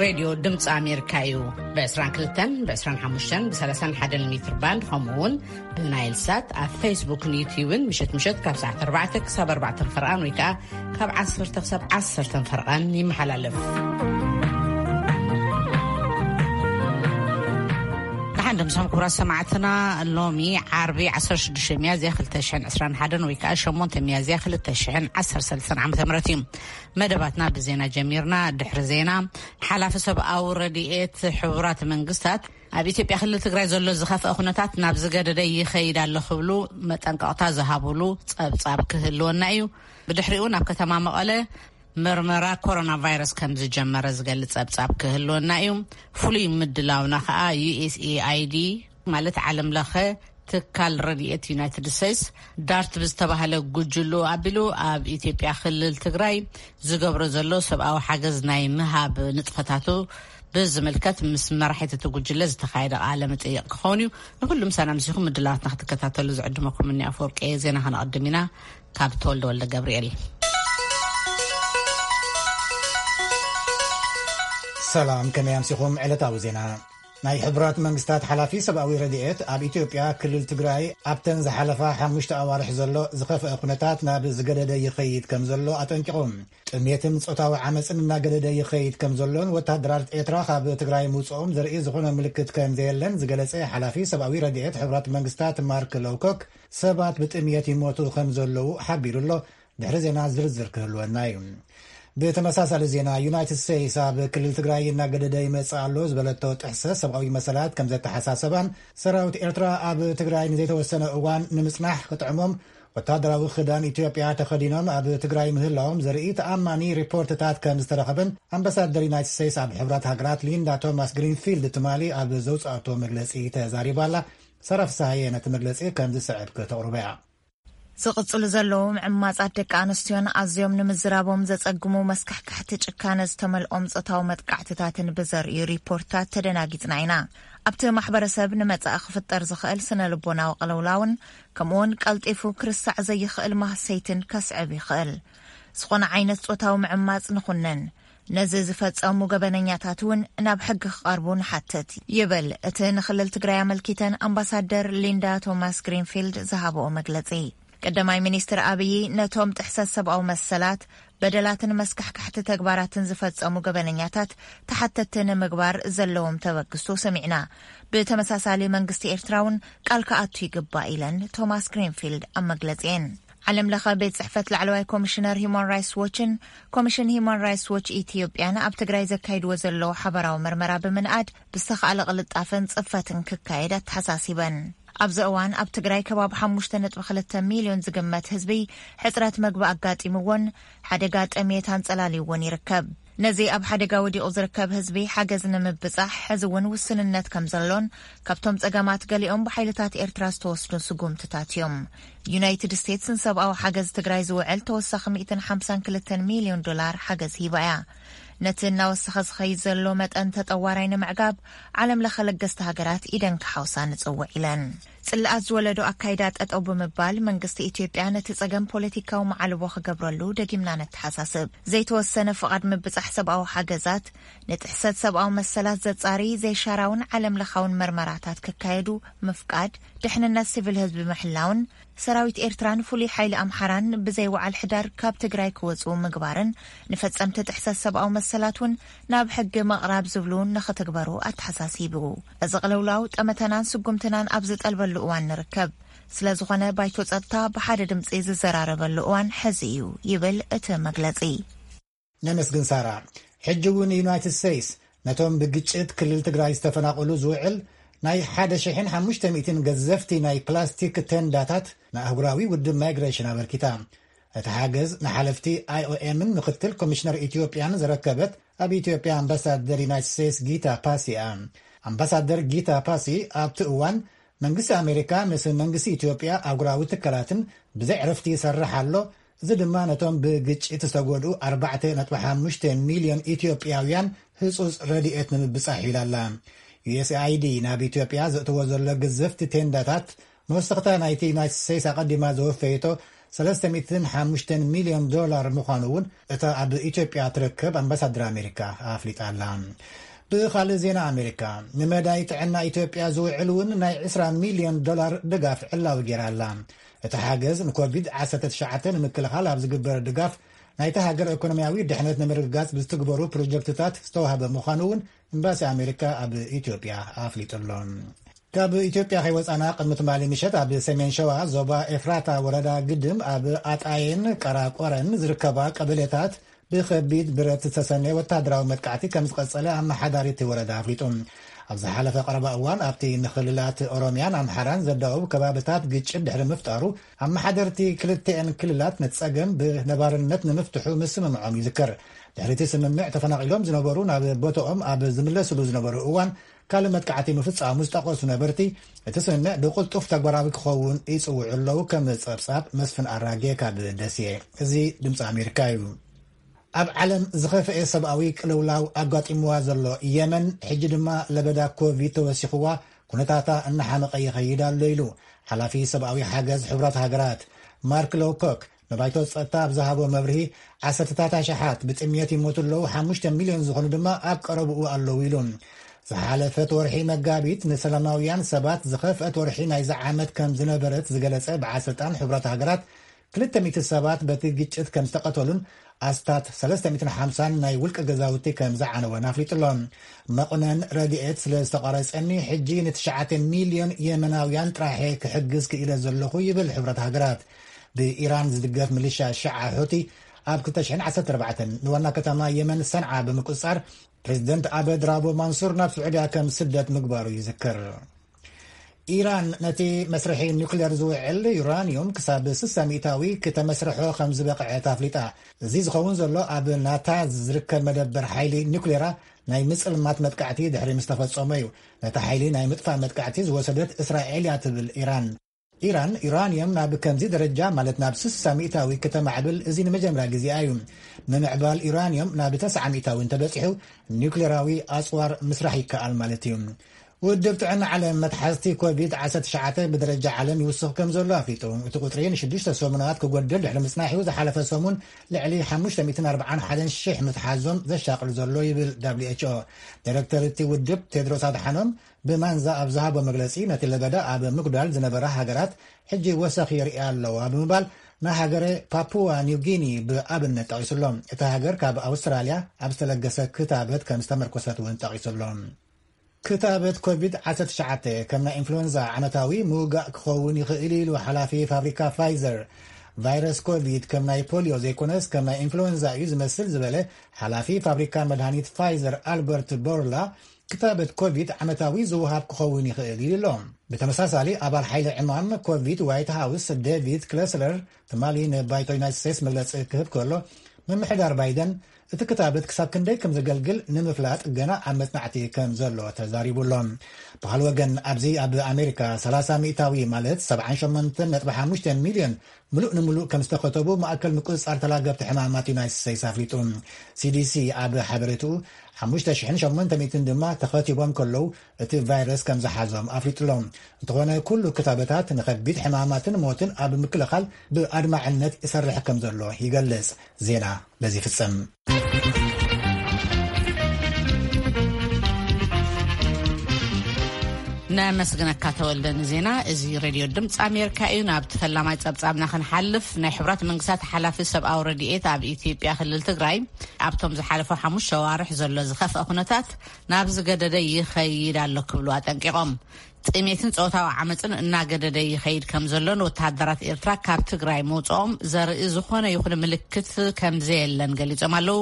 ሬድዮ ድምፂ ኣሜሪካ እዩ። ብ22፣ ብ25፣ ብ31 ሜትር ባንድ፣ ከምኡ እውን ብናይል ሳት ኣብ ፌስቡክን ዩትዩብን ምሸት ምሸት ካብ ሰዓት ኣርባዕተ ክሳብ ኣርባዕተ ፈርቓን ወይ ከዓ ካብ ዓሰርተ ክሳብ ዓሰርተ ፈርቓን ይመሓላለፍ። ደሓን ድምሶም ክቡራት ሰማዕትና፣ ሎሚ ዓርቢ ዓሰርተ ሽዱሽተ ሚያዝያ ክልተ ሽሕን ዕስራን ሓደን ወይ ከዓ ሸሞንተ ሚያዝያ ክልተ ሽሕን ዓሰርተ ሰለስተን ዓመተ ምህረት እዩ። መደባትና ብዜና ጀሚርና። ድሕሪ ዜና፣ ሓላፊ ሰብኣዊ ረድኤት ሕቡራት መንግስታት ኣብ ኢትዮጵያ ክልል ትግራይ ዘሎ ዝኸፍአ ኩነታት ናብ ዝገደደ ይኸይድ ኣሎ ክብሉ መጠንቀቕታ ዝሃብሉ ጸብጻብ ክህልወና እዩ። ብድሕሪኡ ናብ ከተማ መቐለ መርመራ ኮሮና ቫይረስ ከም ዝጀመረ ዝገልጽ ጸብጻብ ክህልወና እዩ። ፍሉይ ምድላውና ከኣ ዩ ኤስ ኤ ኣይ ዲ ማለት ዓለም ለኸ ትካል ረድኤት ዩናይትድ ስቴትስ ዳርት ብዝተባህለ ጉጅሉ ኣቢሉ ኣብ ኢትዮጵያ ክልል ትግራይ ዝገብሮ ዘሎ ሰብኣዊ ሓገዝ ናይ ምሃብ ንጥፈታቱ ብዝምልከት ምስ መራሒት እቲ ጉጅለ ዝተኻየደ ቃለ መጠይቕ ክኸውን እዩ። ንኩሉም ሰላም ሲኹም ምድላዋትና ክትከታተሉ ዝዕድመኩም እኒ ኣፈወርቂ እየ። ዜና ከነቐድም ኢና። ካብ ተወልደ ወልደ ገብርኤል። ሰላም፣ ከመይ ኣምሲኹም? ዕለታዊ ዜና። ናይ ሕቡራት መንግስታት ሓላፊ ሰብኣዊ ረድኤት ኣብ ኢትዮጵያ ክልል ትግራይ ኣብተን ዝሓለፋ ሓሙሽተ ኣዋርሕ ዘሎ ዝኸፍአ ኩነታት ናብ ዝገደደ ይኸይድ ከም ዘሎ ኣጠንቂቖም። ጥሜትን ጾታዊ ዓመፅን እናገደደ ይኸይድ ከም ዘሎን ወታደራት ኤርትራ ካብ ትግራይ ምውፅኦም ዘርኢ ዝኾነ ምልክት ከም ዘየለን ዝገለጸ ሓላፊ ሰብኣዊ ረድኤት ሕቡራት መንግስታት ማርክ ሎውኮክ ሰባት ብጥምየት ይሞቱ ከም ዘለዉ ሓቢሩ ኣሎ። ድሕሪ ዜና ዝርዝር ክህልወና እዩ። ብተመሳሳሊ ዜና፣ ዩናይትድ ስቴትስ ኣብ ክልል ትግራይ እናገደደ ይመጽእ ኣሎ ዝበለቶ ጥሕሰት ሰብኣዊ መሰላት ከም ዘተሓሳሰባን ሰራዊት ኤርትራ ኣብ ትግራይ ንዘይተወሰነ እዋን ንምጽናሕ ክጥዕሞም ወታደራዊ ክዳን ኢትዮጵያ ተኸዲኖም ኣብ ትግራይ ምህላዎም ዘርኢ ተኣማኒ ሪፖርትታት ከም ዝተረኸበን ኣምባሳደር ዩናይትድ ስቴትስ ኣብ ሕብራት ሃገራት ሊንዳ ቶማስ ግሪንፊልድ ትማሊ ኣብ ዘውፅኣቶ መግለፂ ተዛሪባ ኣላ። ሰራ ፍስሃየ ነቲ መግለፂ ከም ዝስዕብ ክተቕርቦ እያ። ዝቕጽሉ ዘለዉ ምዕማጻት ደቂ ኣንስትዮን ኣዝዮም ንምዝራቦም ዘጸግሙ መስካሕካሕቲ ጭካነ ዝተመልኦም ጾታዊ መጥቃዕትታትን ብዘርእዩ ሪፖርታት ተደናጊጽና ኢና። ኣብቲ ማሕበረሰብ ንመጻኢ ክፍጠር ዝኽእል ስነ ልቦናዊ ቅልውላውን ከምኡውን ቀልጢፉ ክርሳዕ ዘይኽእል ማህሰይትን ከስዕብ ይኽእል። ዝኾነ ዓይነት ጾታዊ ምዕማጽ ንኹነን፣ ነዚ ዝፈጸሙ ገበነኛታት እውን ናብ ሕጊ ክቐርቡ ንሓትት፣ ይብል እቲ ንክልል ትግራይ ኣመልኪተን ኣምባሳደር ሊንዳ ቶማስ ግሪንፊልድ ዝሃብኦ መግለጺ። ቀዳማይ ሚኒስትር ኣብዪ ነቶም ጥሕሰት ሰብኣዊ መሰላት፣ በደላትን መስካሕካሕቲ ተግባራትን ዝፈጸሙ ገበነኛታት ተሓተትቲ ንምግባር ዘለዎም ተበግሶ ሰሚዕና። ብተመሳሳሊ መንግስቲ ኤርትራ እውን ቃል ክኣቱ ይግባእ ኢለን ቶማስ ግሪንፊልድ ኣብ መግለጺኤን። ዓለም ለኸ ቤት ጽሕፈት ላዕለዋይ ኮሚሽነር ሂማን ራይትስ ዎችን ኮሚሽን ሂማን ራይትስ ዎች ኢትዮጵያን ኣብ ትግራይ ዘካይድዎ ዘለዉ ሓበራዊ መርመራ ብምንኣድ ብዝተኻእለ ቅልጣፈን ጽፈትን ክካየድ ኣተሓሳሲበን። ኣብዚ እዋን ኣብ ትግራይ ከባቢ ሓሙሽተ ነጥቢ ክልተ ሚልዮን ዝግመት ህዝቢ ሕጽረት መግቢ ኣጋጢምዎን ሓደጋ ጥሜት ኣንጸላልይዎን ይርከብ። ነዚ ኣብ ሓደጋ ወዲቑ ዝርከብ ህዝቢ ሓገዝ ንምብጻሕ ሕዚ እውን ውስንነት ከም ዘሎን ካብቶም ጸገማት ገሊኦም ብሓይልታት ኤርትራ ዝተወስዱ ስጉምትታት እዮም። ዩናይትድ ስቴትስ ንሰብኣዊ ሓገዝ ትግራይ ዝውዕል ተወሳኺ ሚእትን ሓምሳን ክልተን ሚልዮን ዶላር ሓገዝ ሂባ እያ። ነቲ እናወሰኸ ዝኸይድ ዘሎ መጠን ተጠዋራይ ንምዕጋብ ዓለም ለኸ ለገስቲ ሃገራት ኢደን ክሓውሳ ንጽውዕ ኢለን። ጽልኣት ዝወለዶ ኣካይዳ ጠጠው ብምባል መንግስቲ ኢትዮጵያ ነቲ ጸገም ፖለቲካዊ መዓልቦ ክገብረሉ ደጊምና ነተሓሳስብ። ዘይተወሰነ ፍቓድ ምብጻሕ ሰብኣዊ ሓገዛት፣ ንጥሕሰት ሰብኣዊ መሰላት ዘጻሪ ዘይሻራውን ዓለም ለኻውን መርመራታት ክካየዱ ምፍቃድ፣ ድሕንነት ሲቪል ህዝቢ ምሕላውን ሰራዊት ኤርትራን ፍሉይ ሓይሊ ኣምሓራን ብዘይ ወዓል ሕዳር ካብ ትግራይ ክወጽኡ ምግባርን ንፈጸምቲ ጥሕሰት ሰብኣዊ መሰላት እውን ናብ ሕጊ ምቕራብ ዝብሉ ንኽትግበሩ ኣተሓሳሲቡ። እዚ ቅልውላው ጠመተናን ስጉምትናን ኣብ ዝጠልበሉ እዋን ንርከብ። ስለ ዝኾነ ባይቶ ጸጥታ ብሓደ ድምጺ ዝዘራረበሉ እዋን ሕዚ እዩ ይብል እቲ መግለጺ። ነመስግን ሳራ። ሕጂ እውን ዩናይትድ ስቴትስ ነቶም ብግጭት ክልል ትግራይ ዝተፈናቐሉ ዝውዕል ናይ ሓደ ሽሕን ሓሙሽተ ሚእትን ገዘፍቲ ናይ ፕላስቲክ ቴንዳታት ንኣህጉራዊ ውድብ ማይግሬሽን ኣበርኪታ። እቲ ሓገዝ ንሓለፍቲ ኣይ ኦ ኤምን ምክትል ኮሚሽነር ኢትዮጵያን ዘረከበት ኣብ ኢትዮጵያ ኣምባሳደር ዩናይትድ ስቴትስ ጊታ ፓሲ እያ። ኣምባሳደር ጊታ ፓሲ ኣብቲ እዋን መንግስቲ ኣሜሪካ ምስ መንግስቲ ኢትዮጵያ ኣህጉራዊ ትካላትን ብዘይ ዕረፍቲ ይሰርሕ ኣሎ፣ እዚ ድማ ነቶም ብግጭት ዝተጎድኡ ኣርባዕተ ነጥቢ ሓሙሽተ ሚልዮን ኢትዮጵያውያን ህጹጽ ረድኤት ንምብጻሕ እዩ ኢላ ኣላ። ዩ ኤስ ኣይ ዲ ናብ ኢትዮጵያ ዘእትዎ ዘሎ ግዘፍቲ ቴንዳታት መወሰኽታ ናይቲ ዩናይትድ ስቴትስ ኣቐዲማ ዘወፈየቶ ሰለስተ ሚእትን ሓሙሽተን ሚልዮን ዶላር ምዃኑ እውን እታ ኣብ ኢትዮጵያ ትርከብ ኣምባሳደር ኣሜሪካ ኣፍሊጣ ኣላ። ብኻልእ ዜና ኣሜሪካ፣ ንመዳይ ጥዕና ኢትዮጵያ ዝውዕል እውን ናይ ዕስራ ሚልዮን ዶላር ድጋፍ ዕላዊ ገይራ ኣላ። እቲ ሓገዝ ንኮቪድ ዓሰርተ ትሽዓተ ንምክልኻል ኣብ ዝግበር ድጋፍ ናይታ ሃገር ኢኮኖሚያዊ ድሕነት ንምርግጋጽ ብዝትግበሩ ፕሮጀክትታት ዝተዋህበ ምዃኑ እውን ኤምባሲ ኣሜሪካ ኣብ ኢትዮጵያ ኣፍሊጡ ኣሎ። ካብ ኢትዮጵያ ከይወጻና፣ ቅድሚ ትማሊ ምሸት ኣብ ሰሜን ሸዋ ዞባ ኤፍራታ ወረዳ ግድም ኣብ ኣጣየን ቀራቆረን ዝርከባ ቀበሌታት ብኸቢድ ብረት ዝተሰነየ ወተሃደራዊ መጥቃዕቲ ከም ዝቐጸለ ኣመሓዳሪ እቲ ወረዳ ኣፍሊጡ። ኣብ ዝሓለፈ ቀረባ እዋን ኣብቲ ንክልላት ኦሮሚያን ኣምሓራን ዘዳውብ ከባብታት ግጭት ድሕሪ ምፍጣሩ፣ ኣመሓደርቲ ክልቲአን ክልላት ነቲ ጸገም ብነባርነት ንምፍትሑ ምስምምዖም ይዝከር። ድሕሪ እቲ ስምምዕ፣ ተፈናቒሎም ዝነበሩ ናብ ቦታኦም ኣብ ዝምለስሉ ዝነበሩ እዋን ካልእ መጥቃዕቲ ምፍጻሙ ዝጠቐሱ ነበርቲ፣ እቲ ስምምዕ ብቕልጡፍ ተግባራዊ ክኸውን ይጽውዑ ኣለዉ፣ ከም ጸብጻብ መስፍን ኣራጌ ካብ ደሴ። እዚ ድምጺ ኣሜሪካ እዩ። ኣብ ዓለም ዝኸፍኤ ሰብኣዊ ቅልውላው ኣጋጢምዋ ዘሎ የመን፣ ሕጂ ድማ ለበዳ ኮቪድ ተወሲኽዋ፣ ኩነታታ እናሓመቐ ይኸይድ ኣሎ ኢሉ ሓላፊ ሰብኣዊ ሓገዝ ሕቡራት ሃገራት ማርክ ሎውኮክ ንባይቶ ጸጥታ ኣብ ዝሃቦ መብርሂ፣ ዓሰርተታት ኣሽሓት ብጥምየት ይሞቱ ኣለዉ፣ ሓሙሽተ ሚልዮን ዝኾኑ ድማ ኣብ ቀረብኡ ኣለዉ ኢሉ። ዝሓለፈት ወርሒ መጋቢት ንሰላማውያን ሰባት ዝኸፍአት ወርሒ ናይዚ ዓመት ከም ዝነበረት ዝገለጸ በዓል ስልጣን ሕቡራት ሃገራት፣ ክልተ ሚእቲ ሰባት በቲ ግጭት ከም ዝተቐተሉን ኣስታት ሰለስተ ሚእትን ሓምሳን ናይ ውልቂ ገዛውቲ ከም ዝዓነወን ኣፍሊጡ ኣሎ። መቑነን ረድኤት ስለ ዝተቋረጸኒ፣ ሕጂ ንትሽዓተ ሚልዮን የመናውያን ጥራሐ ክሕግዝ ክኢለ ዘለኹ ይብል ሕብረት ሃገራት። ብኢራን ዝድገፍ ምልሻ ሽዓ ሑቲ ኣብ ክልተ ሽሕን ዓሰርተ ኣርባዕተን ንዋና ከተማ የመን ሰንዓ ብምቁጽጻር፣ ፕሬዚደንት ኣበድ ራቦ ማንሱር ናብ ስዑድያ ከም ስደት ምግባሩ ይዝከር። ኢራን ነቲ መስርሒ ኒውክሌር ዝውዕል ዩራኒዩም ክሳብ ስሳ ሚእታዊ ክተመስርሖ ከም ዝበቕዐት ኣፍሊጣ። እዚ ዝኸውን ዘሎ ኣብ ናታንዝ ዝርከብ መደበር ሓይሊ ኒውክሌራ ናይ ምጽልማት መጥቃዕቲ ድሕሪ ምስ ተፈጸመ እዩ። ነቲ ሓይሊ ናይ ምጥፋእ መጥቃዕቲ ዝወሰደት እስራኤል እያ ትብል ኢራን። ኢራን ዩራኒየም ናብ ከምዚ ደረጃ፣ ማለት ናብ ስሳ ሚእታዊ ከተማዕብል እዚ ንመጀመርያ ግዜኣ እዩ። ምምዕባል ዩራኒየም ናብ ተስዓ ሚእታዊ እንተበጺሑ፣ ኒውክሌራዊ ኣጽዋር ምስራሕ ይከኣል ማለት እዩ። ውድብ ጥዕና ዓለም መትሓዝቲ ኮቪድ ዓሰርተ ትሽዓተ ብደረጃ ዓለም ይውስኽ ከም ዘሎ ኣፍሊጡ። እቲ ቁጽሪ ንሽዱሽተ ሰሙናት ክጎድል ድሕሪ ምጽናሕ እዩ ዝሓለፈ ሰሙን ልዕሊ ሓሙሽተ ሚእትን ኣርባዓን ሓደን ሽሕ ምትሓዞም ዘሻቕል ዘሎ ይብል ደብሊው ኤች ኦ። ዳይሬክተር እቲ ውድብ ቴድሮስ ኣድሓኖም ብማንዛ ኣብ ዝሃቦ መግለጺ፣ ነቲ ለበዳ ኣብ ምጉዳል ዝነበራ ሃገራት ሕጂ ወሰኽ የርእያ ኣለዋ ብምባል፣ ንሃገረ ፓፑዋ ኒው ጊኒ ብኣብነት ጠቒሱሎም። እታ ሃገር ካብ ኣውስትራልያ ኣብ ዝተለገሰ ክታበት ከም ዝተመርኮሰት እውን ጠቒሱሎም። ክታበት ኮቪድ ዓሰርተ ትሽዓተ ከም ናይ ኢንፍሉዌንዛ ዓመታዊ ምውጋእ ክኸውን ይኽእል ኢሉ ሓላፊ ፋብሪካ ፋይዘር። ቫይረስ ኮቪድ ከም ናይ ፖሊዮ ዘይኮነስ ከም ናይ ኢንፍሉዌንዛ እዩ ዝመስል ዝበለ ሓላፊ ፋብሪካ መድሃኒት ፋይዘር ኣልበርት ቦርላ፣ ክታበት ኮቪድ ዓመታዊ ዝወሃብ ክኸውን ይኽእል ኢሉ ኣሎ። ብተመሳሳሊ፣ ኣባል ሓይሊ ዕማም ኮቪድ ዋይት ሃውስ ዴቪድ ክለስለር ትማሊ ንባይቶ ዩናይትድ ስቴትስ መግለጺ ክህብ ከሎ፣ ምምሕዳር ባይደን እቲ ክታበት ክሳብ ክንደይ ከም ዘገልግል ንምፍላጥ ገና ኣብ መጽናዕቲ ከም ዘሎ ተዛሪቡ ኣሎ። ብኻልእ ወገን፣ ኣብዚ ኣብ ኣሜሪካ ሰላሳ ሚእታዊ፣ ማለት ሰብዓን ሸሞንተን ነጥቢ ሓሙሽተ ሚልዮን፣ ምሉእ ንምሉእ ከም ዝተኸተቡ ማእከል ምቁጽጻር ተላገብቲ ሕማማት ዩናይትድ ስቴትስ ኣፍሊጡ። ሲዲሲ ኣብ ሓበሬትኡ፣ ሓሙሽተ ሽሕን ሸሞንተ ሚእትን ድማ ተኸቲቦም ከለዉ እቲ ቫይረስ ከም ዝሓዞም ኣፍሊጡ ኣሎ። እንተኾነ፣ ኩሉ ክታበታት ንኸቢድ ሕማማትን ሞትን ኣብ ምክልኻል ብኣድማዕነት ይሰርሕ ከም ዘሎ ይገልጽ። ዜና በዚ ይፍጸም። ነመስግነካ ተወልደ ንዜና። እዚ ሬድዮ ድምፂ ኣሜሪካ እዩ። ናብ ተፈላማይ ጸብጻብና ክንሓልፍ፣ ናይ ሕቡራት መንግስታት ሓላፊ ሰብኣዊ ረድኤት ኣብ ኢትዮጵያ ክልል ትግራይ ኣብቶም ዝሓለፈ ሓሙሽተ ኣዋርሕ ዘሎ ዝኸፍአ ኩነታት ናብ ዝገደደ ይኸይድ ኣሎ ክብሉ ኣጠንቂቖም። ጥሜትን ጾታዊ ዓመፅን እናገደደ ይኸይድ ከም ዘሎን ወተሃደራት ኤርትራ ካብ ትግራይ ምውፅኦም ዘርኢ ዝኾነ ይኹን ምልክት ከም ዘየለን ገሊጾም ኣለዉ።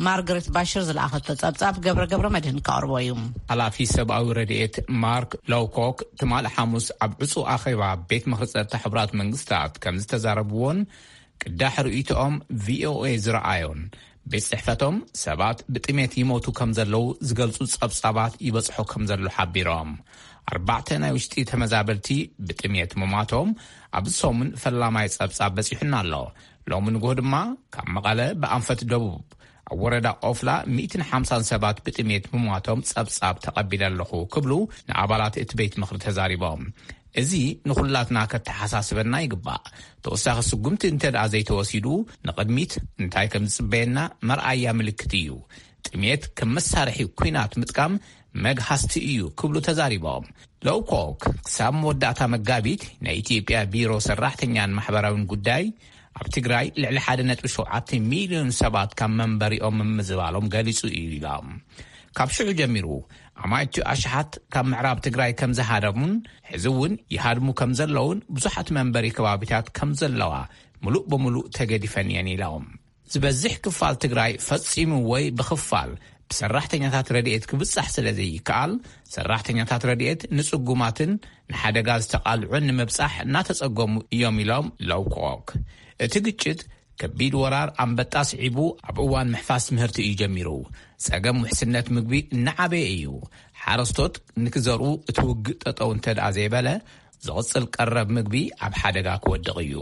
ማርገሬት ባሽር ዝለኣኸቶ ጸብጻብ ገብረ ገብረ መድህን ከቕርቦ እዩ። ሓላፊ ሰብኣዊ ረድኤት ማርክ ሎውኮክ ትማሊ ሓሙስ ኣብ ዕጹ ኣኼባ ቤት ምኽሪ ጸጥታ ሕቡራት መንግስታት ከም ዝተዛረብዎን ቅዳሕ ርእይቶኦም ቪኦኤ ዝረኣዮን፣ ቤት ጽሕፈቶም ሰባት ብጥሜት ይሞቱ ከም ዘለዉ ዝገልጹ ጸብጻባት ይበጽሖ ከም ዘሎ ሓቢሮም። ኣርባዕተ ናይ ውሽጢ ተመዛበልቲ ብጥሜት ምሟቶም ኣብዚ ሰሙን ፈላማይ ጸብጻብ በጺሑና ኣሎ። ሎሚ ንግሆ ድማ ካብ መቐለ ብኣንፈት ደቡብ ኣብ ወረዳ ኦፍላ ሚእትን ሓምሳን ሰባት ብጥሜት ምሟቶም ጸብጻብ ተቐቢለ ኣለኹ ክብሉ ንኣባላት እቲ ቤት ምኽሪ ተዛሪቦም። እዚ ንኹላትና ከተሓሳስበና ይግባእ። ተወሳኺ ስጉምቲ እንተ ደኣ ዘይተወሲዱ፣ ንቕድሚት እንታይ ከም ዝጽበየና መርኣያ ምልክት እዩ። ጥሜት ከም መሳርሒ ኲናት ምጥቃም መግሃስቲ እዩ ክብሉ ተዛሪቦም። ሎውኮክ ክሳብ መወዳእታ መጋቢት ናይ ኢትዮጵያ ቢሮ ሰራሕተኛን ማሕበራዊን ጉዳይ ኣብ ትግራይ ልዕሊ ሓደ ነጥቢ ሸውዓተ ሚልዮን ሰባት ካብ መንበሪኦም ምምዝባሎም ገሊጹ እዩ ኢሎም። ካብ ሽዑ ጀሚሩ ኣማኢቱ ኣሽሓት ካብ ምዕራብ ትግራይ ከም ዝሃደሙን ሕዚ እውን ይሃድሙ ከም ዘለውን ብዙሓት መንበሪ ከባቢታት ከም ዘለዋ ምሉእ ብምሉእ ተገዲፈን እየን ኢሎም። ዝበዝሕ ክፋል ትግራይ ፈጺሙ ወይ ብኽፋል ብሰራሕተኛታት ረድኤት ክብጻሕ ስለ ዘይከኣል፣ ሰራሕተኛታት ረድኤት ንጽጉማትን ንሓደጋ ዝተቓልዑን ንምብጻሕ እናተጸገሙ እዮም ኢሎም ሎውኮክ። እቲ ግጭት ከቢድ ወራር ኣንበጣ ስዒቡ ኣብ እዋን ምሕፋስ ምህርቲ እዩ ጀሚሩ። ጸገም ውሕስነት ምግቢ እናዓበየ እዩ። ሓረስቶት ንክዘርኡ እቲ ውግእ ጠጠው እንተ ደኣ ዘይበለ፣ ዝቕጽል ቀረብ ምግቢ ኣብ ሓደጋ ክወድቕ እዩ።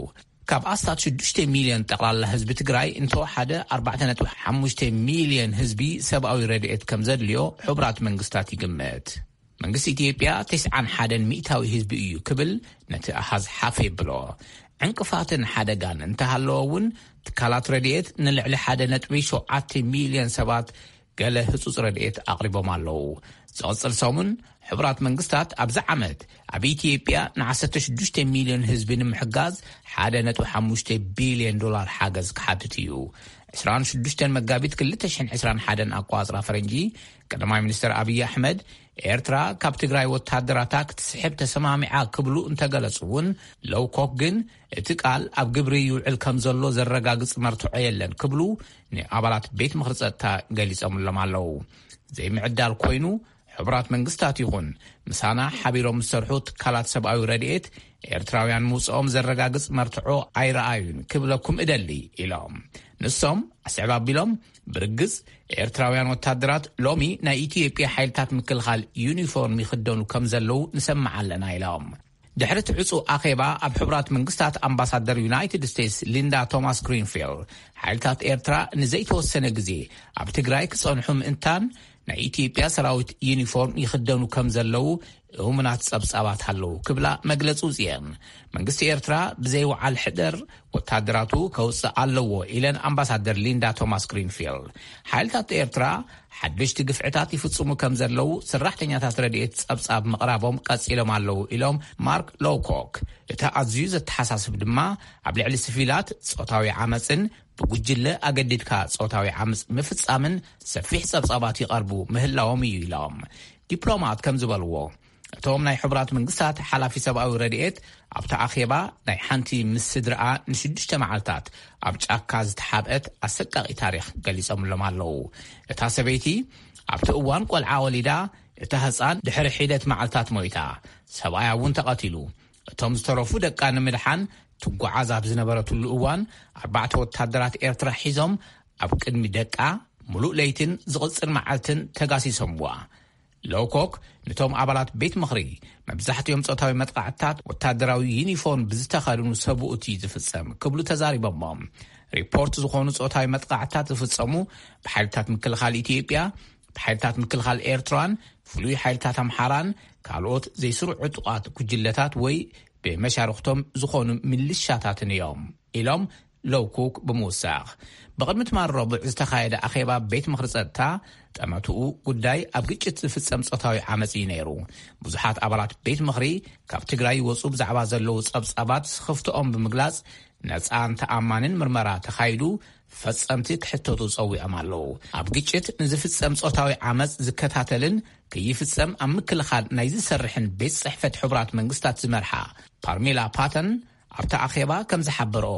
ካብ ኣስታት ሽዱሽተ ሚልዮን ጠቕላላ ህዝቢ ትግራይ እንተወሓደ ኣርባዕተ ነጥቢ ሓሙሽተ ሚልዮን ህዝቢ ሰብኣዊ ረድኤት ከም ዘድልዮ ሕቡራት መንግስታት ይግምት። መንግስቲ ኢትዮጵያ ተስዓን ሓደን ሚእታዊ ህዝቢ እዩ ክብል ነቲ ኣሃዝ ሓፍ የብሎ። ዕንቅፋትን ሓደጋን እንተሃለወ እውን ትካላት ረድኤት ንልዕሊ ሓደ ነጥቢ ሸውዓተ ሚልዮን ሰባት ገለ ህጹጽ ረድኤት ኣቕሪቦም ኣለዉ። ዝቕጽል ሰሙን ሕቡራት መንግስታት ኣብዚ ዓመት ኣብ ኢትዮጵያ ን ዓሰርተ ሽዱሽተ ሚልዮን ህዝቢ ንምሕጋዝ ሓደ ነጥቢ ሓሙሽተ ቢልዮን ዶላር ሓገዝ ክሓትት እዩ። ዕስራን ሽዱሽተን መጋቢት ክልተ ሽሕን ዕስራን ሓደን ኣቋጽራ ፈረንጂ ቀዳማይ ሚኒስትር ኣብይ ኣሕመድ ኤርትራ ካብ ትግራይ ወታደራታ ክትስሕብ ተሰማሚዓ ክብሉ እንተገለጹ እውን ሎውኮክ ግን እቲ ቃል ኣብ ግብሪ ይውዕል ከም ዘሎ ዘረጋግጽ መርትዖ የለን ክብሉ ንኣባላት ቤት ምኽሪ ጸጥታ ገሊጾምሎም ኣለዉ። ዘይምዕዳል ኮይኑ ሕቡራት መንግስታት ይኹን ምሳና ሓቢሮም ዝሰርሑ ትካላት ሰብኣዊ ረድኤት ኤርትራውያን ምውፅኦም ዘረጋግጽ መርትዖ ኣይረኣዩን ክብለኩም እደሊ ኢሎም። ንሶም ኣስዕብ ኣቢሎም ብርግጽ ኤርትራውያን ወታደራት ሎሚ ናይ ኢትዮጵያ ሓይልታት ምክልኻል ዩኒፎርም ይኽደኑ ከም ዘለዉ ንሰምዕ ኣለና ኢሎም። ድሕሪ እቲ ዕጹ ኣኼባ ኣብ ሕቡራት መንግስታት ኣምባሳደር ዩናይትድ ስቴትስ ሊንዳ ቶማስ ግሪንፊልድ ሓይልታት ኤርትራ ንዘይተወሰነ ግዜ ኣብ ትግራይ ክጸንሑ ምእንታን ናይ ኢትዮጵያ ሰራዊት ዩኒፎርም ይኽደኑ ከም ዘለዉ እሙናት ጸብጻባት ኣለዉ ክብላ መግለጺ ውጽየን። መንግስቲ ኤርትራ ብዘይወዓል ሕደር ወታደራቱ ከውጽእ ኣለዎ ኢለን ኣምባሳደር ሊንዳ ቶማስ ግሪንፊልድ። ሓይልታት ኤርትራ ሓደሽቲ ግፍዕታት ይፍጽሙ ከም ዘለዉ ሰራሕተኛታት ረድኤት ጸብጻብ ምቕራቦም ቀጺሎም ኣለዉ ኢሎም ማርክ ሎውኮክ። እቲ ኣዝዩ ዘተሓሳስብ ድማ ኣብ ልዕሊ ስቪላት ጾታዊ ዓመጽን ብጉጅለ ኣገዲድካ ጾታዊ ዓመጽ ምፍጻምን ሰፊሕ ጸብጻባት ይቐርቡ ምህላዎም እዩ ኢሎም። ዲፕሎማት ከም ዝበልዎ እቶም ናይ ሕቡራት መንግስታት ሓላፊ ሰብኣዊ ረድኤት ኣብቲ ኣኼባ ናይ ሓንቲ ምስ ስድርኣ ንሽዱሽተ መዓልታት ኣብ ጫካ ዝተሓብአት ኣሰቃቒ ታሪኽ ገሊጾምሎም ኣለዉ። እታ ሰበይቲ ኣብቲ እዋን ቆልዓ ወሊዳ፣ እታ ህጻን ድሕሪ ሒደት መዓልታት ሞይታ። ሰብኣያ እውን ተቐቲሉ። እቶም ዝተረፉ ደቃ ንምድሓን ትጓዓዝ ኣብ ዝነበረትሉ እዋን ኣርባዕተ ወታደራት ኤርትራ ሒዞም ኣብ ቅድሚ ደቃ ምሉእ ለይትን ዝቕጽል መዓልትን ተጋሲሶምዋ። ሎውኮክ ነቶም ኣባላት ቤት ምኽሪ መብዛሕትኦም ጾታዊ መጥቃዕትታት ወታደራዊ ዩኒፎርም ብዝተኸድኑ ሰብኡት እዩ ዝፍጸም ክብሉ ተዛሪቦሞ። ሪፖርት ዝኾኑ ጾታዊ መጥቃዕትታት ዝፍጸሙ ብሓይልታት ምክልኻል ኢትዮጵያ፣ ብሓይልታት ምክልኻል ኤርትራን ፍሉይ ሓይልታት ኣምሓራን ካልኦት ዘይስሩዕ ዕጡቓት ጉጅለታት ወይ ብመሻርኽቶም ዝኾኑ ምልሻታትን እዮም ኢሎም ሎውኮክ ብምውሳኽ። ብቕድሚ ትማል ረቡዕ ዝተኻየደ ኣኼባ ቤት ምኽሪ ጸጥታ ጠመትኡ ጉዳይ ኣብ ግጭት ዝፍጸም ጾታዊ ዓመጽ እዩ ነይሩ። ብዙሓት ኣባላት ቤት ምኽሪ ካብ ትግራይ ይወጹ ብዛዕባ ዘለዉ ጸብጻባት ስኽፍትኦም ብምግላጽ ነጻን ተኣማንን ምርመራ ተኻይዱ ፈጸምቲ ክሕተቱ ጸዊዖም ኣለዉ። ኣብ ግጭት ንዝፍጸም ጾታዊ ዓመጽ ዝከታተልን ከይፍጸም ኣብ ምክልኻል ናይ ዝሰርሕን ቤት ጽሕፈት ሕቡራት መንግስታት ዝመርሓ ፓርሜላ ፓተን ኣብቲ ኣኼባ ከም ዝሓበርኦ፣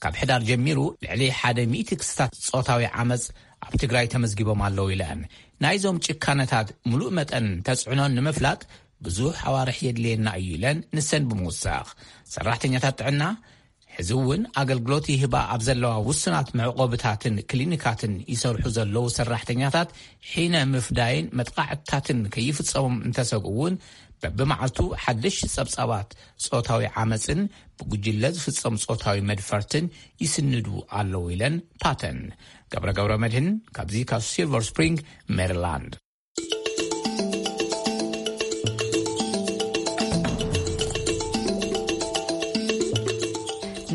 ካብ ሕዳር ጀሚሩ ልዕሊ ሓደ ሚእቲ ክስታት ጾታዊ ዓመጽ ኣብ ትግራይ ተመዝጊቦም ኣለዉ ኢለን። ናይዞም ጭካነታት ምሉእ መጠን ተጽዕኖን ንምፍላጥ ብዙሕ ኣዋርሕ የድልየና እዩ ኢለን ንሰን ብምውሳኽ፣ ሰራሕተኛታት ጥዕና ሕዚ እውን ኣገልግሎት ይህባ ኣብ ዘለዋ ውሱናት መዕቆብታትን ክሊኒካትን ይሰርሑ ዘለዉ ሰራሕተኛታት ሒነ ምፍዳይን መጥቃዕትታትን ከይፍጸሞም እንተሰግኡ እውን በብመዓልቱ ሓደሽቲ ጸብጻባት ጾታዊ ዓመጽን ብጉጅለ ዝፍጸም ጾታዊ መድፈርትን ይስንዱ ኣለዉ ኢለን ፓተን። ገብረ ገብረ መድህን ካብዚ ካብ ሲልቨር ስፕሪንግ ሜሪላንድ።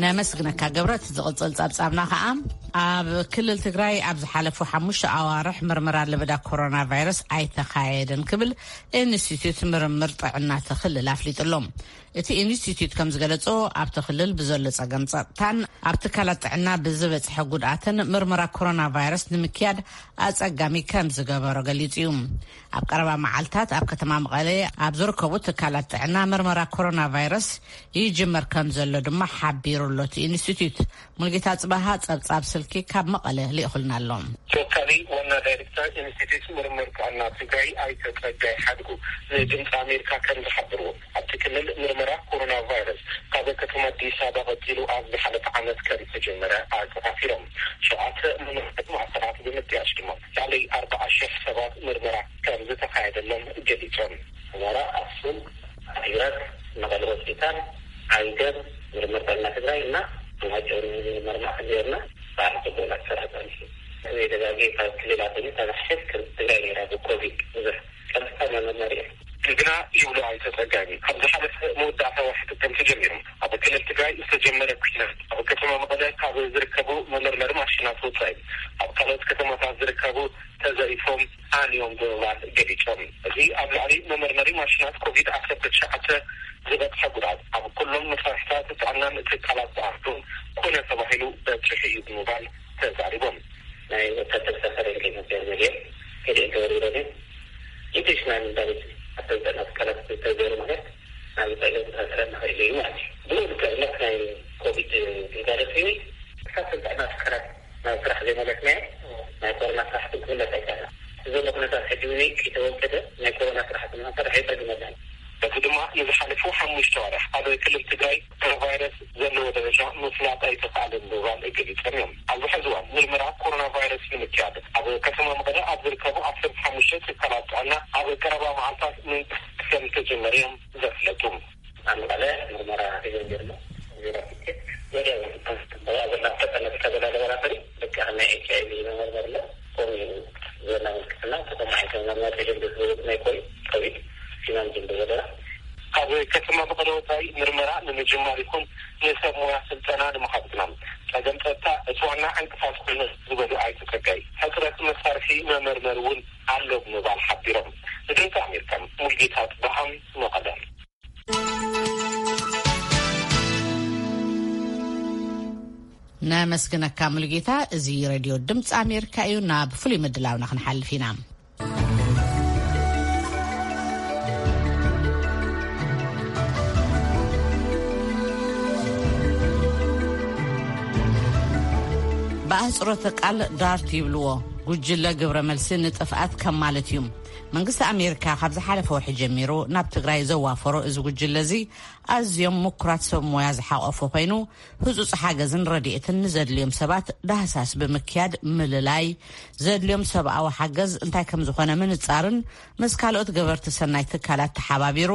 ነመስግነካ ገብረ። እቲ ዝቕጽል ጸብጻብና ከኣ፣ ኣብ ክልል ትግራይ ኣብ ዝሓለፉ ሓሙሽተ ኣዋርሕ ምርመራ ለበዳ ኮሮና ቫይረስ ኣይተኻየደን ክብል ኢንስቲትዩት ምርምር ጥዕና እቲ ክልል ኣፍሊጡ ኣሎ። እቲ ኢንስቲትዩት ከም ዝገለጾ፣ ኣብቲ ክልል ብዘሎ ጸገም ጸጥታን ኣብ ትካላት ጥዕና ብዝበጽሐ ጉድኣትን ምርመራ ኮሮና ቫይረስ ንምክያድ ኣጸጋሚ ከም ዝገበሮ ገሊጹ እዩ። ኣብ ቀረባ መዓልታት ኣብ ከተማ መቐለ ኣብ ዝርከቡ ትካላት ጥዕና ምርመራ ኮሮና ቫይረስ ይጅመር ከም ዘሎ ድማ ሓቢሩ ኣሎ እቲ ኢንስቲትዩት። ሙልጌታ ጽባሃ ጸብጻብ ስልኪ ካብ መቐለ ልኢኹልና ኣሎ። ተወካሊ ዋና ዳይሬክተር ኢንስቲትዩት ምርምር ጥዕና ትግራይ ኣይተ ጸጋይ ሓድጉ ንድምፂ ኣሜሪካ ከም ዝሓበርዎ፣ ኣብቲ ክልል ምርመራ ኮሮና ቫይረስ ካብ ከተማ ኣዲስ ኣበባ ቀፂሉ ኣብ ዝሓለፈ ዓመት ከም ዝተጀመረ ኣተኻፊሮም። ሸውዓተ ምምሕዳር ማእከላት ብምጥያሽ ድማ ልዕሊ ኣርባዓ ሺሕ ሰባት ምርመራ ከም ዝተኻየደሎም ገሊጾም። ኣስመራ፣ ኣክሱም፣ ዓዲግራት፣ መቐለ ሆስፒታል፣ ዓንገር፣ ምርምር ጥዕና ትግራይ እና ማይጨው ምርመራ ማእከል ጌርና በዓል ጽቡቕ እናተሰራ ጸኒሑ። እዚ ደጋጊ ካብ ክልላት እዩ ተባሒት ከም ትግራይ ነይራ ብኮቪድ ብዙሕ ቀጥታ መመርመሪ እዩ። ግና ይብሉ ኣይተ ጸጋይ፣ ካብ ዝሓለፈ መወዳእታ ወርሒ ጥቅምቲ ጀሚሩ ኣብ ክልል ትግራይ ዝተጀመረ ኩናት ኣብ ከተማ መቐለ ካብ ዝርከቡ መመርመሪ ማሽናት ወጻኢ ኣብ ካልኦት ከተማታት ዝርከቡ ተዘሪፎም ሃንዮም ብምባል ገሊጾም። እዚ ኣብ ልዕሊ መመርመሪ ማሽናት ኮቪድ ዓሰርተ ትሽዓተ ዝበጽሐ ጉድኣት ኣብ ኩሎም መሳርሕታት ጥዕናን ትካላት ጸዓቱን ኮነ ተባሂሉ በጺሑ እዩ ብምባል ተዛሪቦም። ናይ ወታደር ሰፈር የለኝም። ገሊኦም ገሊኦም ተወሪሮም እዮም። ኢንቴንሽናል እንዳሉት ኣሰልጠና ትካላት ዝተዘሩ ማለት ናብ ጸገም ክፈጥረና ክእል እዩ ማለት እዩ። ብኡ ልክዕ እምነት ናይ ኮቪድ ግልጋሎት እዩ። ክሳብ ስልጠና ትካላት ናብ ስራሕ ዘይመለስናዮ ናይ ኮሮና ስራሕቲ ክምለስ ኣይከኣልን። እዚ ዘሎ ኩነታት ሕጂ እውን ከይተወገደ ናይ ኮሮና ስራሕቲ ንክንሰርሕ የጸግመና እዩ። በዚ ድማ ንዝሓለፉ ሓሙሽተ ወርሕ ኣብ ክልል ትግራይ ኮሮና ቫይረስ ዘለዎ ደረጃ ምፍላጥ ኣይተኻእለን ብምባል ገሊጾም እዮም። ኣብዚ ሕዚ እዋን ምርመራ ኮሮና ቫይረስ ንምክያድ ኣብ ከተማ መቐለ ኣብ ዝርከቡ ዓሰርተ ሓሙሽተ ትካላት ጥዕና ኣብ ቀረባ መዓልታት ምንቅስቃስ ከም ዝተጀመረ እዮም ዘፍለጡ። ኣብ መቐለ ምርመራ ተጀሚሩ ኣሎ። ዜሮ ፊት ወዲያው ኣብ ዘላ ተጠለብ ተበላ ላቦራቶሪ ደቂ ናይ ኤች ኣይ ቪ መመርመሪ ኣሎ። ከምኡ እዩ ዘና ምልክትና ተሰማዒ መመርመሪ ተጀሚሩ ዝብል ናይ ኮቪድ ኮቪድ ሲናን ጀምር ዘለና። ካብ ከተማ መቐለ ወፃኢ ምርመራ ንምጅማር ይኹን ንሰብ ሞያ ስልጠና ንምሃብ ግና ጸገም ጸጥታ እቲ ዋና ዕንቅፋት ኮይኑ ዝበሉ ኣይተ ጸጋይ፣ ሕጽረት መሳርሒ መመርመሪ እውን ኣሎ ብምባል ሓቢሮም። ንድምፂ ኣሜሪካ ሙልጌታ ጽባሃም መቐለ። ነመስግነካ ሙሉጌታ። እዚ ሬድዮ ድምፂ ኣሜሪካ እዩ። ናብ ፍሉይ ምድላውና ክንሓልፍ ኢና። ብኣህፅሮተ ቃል ዳርት ይብልዎ፣ ጉጅለ ግብረ መልሲ ንጥፍኣት ከም ማለት እዩ። መንግስቲ ኣሜሪካ ካብ ዝሓለፈ ወርሒ ጀሚሩ ናብ ትግራይ ዘዋፈሮ እዚ ጉጅለ እዚ ኣዝዮም ምኩራት ሰብ ሞያ ዝሓቆፈ ኮይኑ፣ ህጹጽ ሓገዝን ረድኤትን ንዘድልዮም ሰባት ዳህሳስ ብምክያድ ምልላይ፣ ዘድልዮም ሰብኣዊ ሓገዝ እንታይ ከም ዝኾነ ምንጻርን ምስ ካልኦት ገበርቲ ሰናይ ትካላት ተሓባቢሩ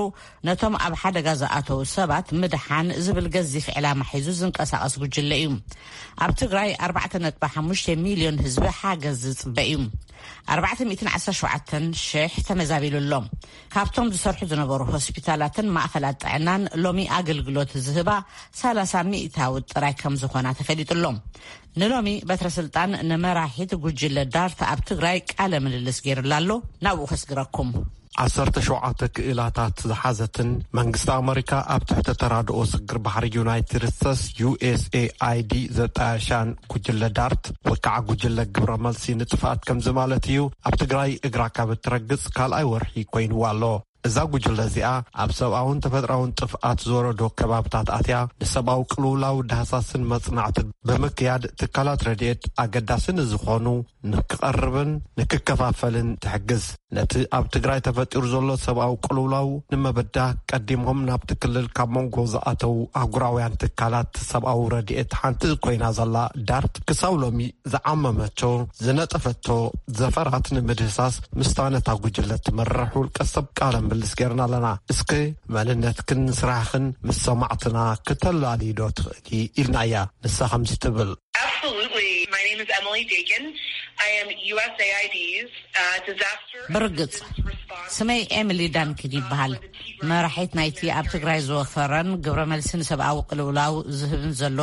ነቶም ኣብ ሓደጋ ዝኣተዉ ሰባት ምድሓን ዝብል ገዚፍ ዕላማ ሒዙ ዝንቀሳቐስ ጉጅለ እዩ። ኣብ ትግራይ ኣርባዕተ ነጥቢ ሓሙሽተ ሚልዮን ህዝቢ ሓገዝ ዝጽበ እዩ። ኣርባዕተ ሚእትን ዓሰርተ ሸውዓተን ሽሕ ተመዛቢሉ ኣሎ። ካብቶም ዝሰርሑ ዝነበሩ ሆስፒታላትን ማእኸላት ጥዕናን ሎሚ ኣገልግሎት ዝህባ ሰላሳ ሚእታዊ ጥራይ ከም ዝኾና ተፈሊጡ ኣሎ። ንሎሚ በትረ ስልጣን ንመራሒት ጉጅለ ዳርት ኣብ ትግራይ ቃለ ምልልስ ገይሩላ ኣሎ። ናብኡ ከስግረኩም። ዓሰርተ ሸውዓተ ክኢላታት ዝሓዘትን መንግስቲ ኣመሪካ ኣብ ትሕቲ ተራድኦ ስግር ባሕሪ ዩናይትድ ስቴትስ፣ ዩ ኤስ ኤ ኣይ ዲ፣ ዘጣየሻን ጉጅለ ዳርት ወይ ከዓ ጉጅለ ግብረ መልሲ ንጥፍኣት ከምዚ ማለት እዩ፣ ኣብ ትግራይ እግራ ካብ እትረግጽ ካልኣይ ወርሒ ኮይንዋ ኣሎ። እዛ ጉጅለ እዚኣ ኣብ ሰብኣውን ተፈጥራውን ጥፍኣት ዝወረዶ ከባብታት ኣትያ ንሰብኣዊ ቅልውላው ዳህሳስን መጽናዕትን ብምክያድ ትካላት ረድኤት ኣገዳሲ ንዝኾኑ ንክቐርብን ንክከፋፈልን ትሕግዝ። ነቲ ኣብ ትግራይ ተፈጢሩ ዘሎ ሰብኣዊ ቅልውላው ንምብዳህ ቀዲሞም ናብቲ ክልል ካብ መንጎ ዝኣተው ኣህጉራውያን ትካላት ሰብኣዊ ረድኤት ሓንቲ ኮይና ዘላ ዳርት ክሳብ ሎሚ ዝዓመመቶ ዝነጠፈቶ ዘፈራት ንምድህሳስ ምስታ ነታ ጉጅለ ትመርሕ ውልቀ ሰብ ቃለ ምልልስ ጌርና ኣለና። እስከ መንነትክን ስራሕኽን ምስ ሰማዕትና ክተላልይዶ ትኽእሊ ኢልናያ። ንሳ ከምዚ ትብል። Absolutely. My name is Emily Dakin. I am U S A I D's, uh, disaster ብርግጽ፣ assistance ስመይ ኤሚሊ ዳንኪን ይበሃል። መራሒት ናይቲ ኣብ ትግራይ ዝወፈረን ግብረ መልሲ ንሰብኣዊ ቅልውላው ዝህብን ዘሎ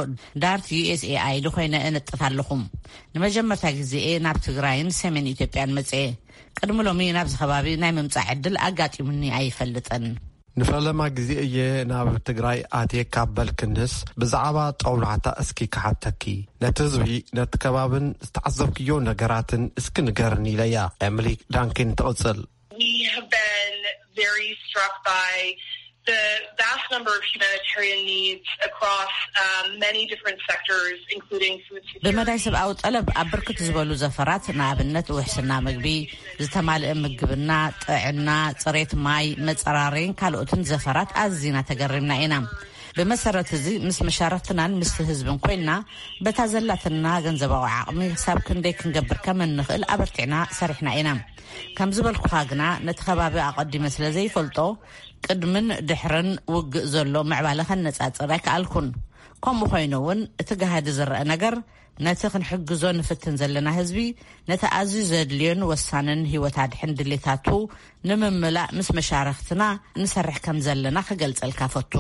ዳርት ዩ ኤስ ኤ ኣይ ዲ ኮይነ እነጥፍ ኣለኹም። ንመጀመርታ ግዜ እየ ናብ ትግራይን ሰሜን ኢትዮጵያን መጽኤ። ቅድሚ ሎሚ ናብዚ ከባቢ ናይ ምምጻእ ዕድል ኣጋጢሙኒ ኣይፈልጥን። ንፈለማ ግዜ እየ ናብ ትግራይ ኣትየ ካብ በልክንስ፣ ብዛዕባ ጦብላሕታ እስኪ ክሓተኪ፣ ነቲ ህዝቢ፣ ነቲ ከባብን ዝተዓዘብክዮ ነገራትን እስኪ ንገርኒ ኢለያ። ኤምሊ ዳንኪን ትቕጽል። We have been very struck by the vast number of humanitarian needs across um, many different sectors, including food security. ብመዳይ ሰብኣዊ ጠለብ ኣብ ብርክት ዝበሉ ዘፈራት፣ ንኣብነት ውሕስና ምግቢ፣ ዝተማልአ ምግብና፣ ጥዕና፣ ጽሬት ማይ፣ መጸራረይን ካልኦትን ዘፈራት ኣዝና ተገሪምና ኢና። ብመሰረት እዚ ምስ መሻርክትናን ምስቲ ህዝብን ኮይንና በታ ዘላትና ገንዘባዊ ዓቕሚ ክሳብ ክንደይ ክንገብር ከም እንኽእል ኣበርቲዕና ሰሪሕና ኢና። ከም ዝበልኩኻ ግና ነቲ ከባቢ ኣቐዲመ ስለ ዘይፈልጦ ቅድምን ድሕርን ውግእ ዘሎ ምዕባለ ከነጻጽር ኣይከኣልኩን። ከምኡ ኮይኑ እውን እቲ ጋህዲ ዝረአ ነገር ነቲ ክንሕግዞ ንፍትን ዘለና ህዝቢ ነቲ ኣዝዩ ዘድልዮን ወሳንን ህይወት ኣድሕን ድሌታቱ ንምምላእ ምስ መሻርክትና ንሰርሕ ከም ዘለና ክገልጸልካ ፈቱ።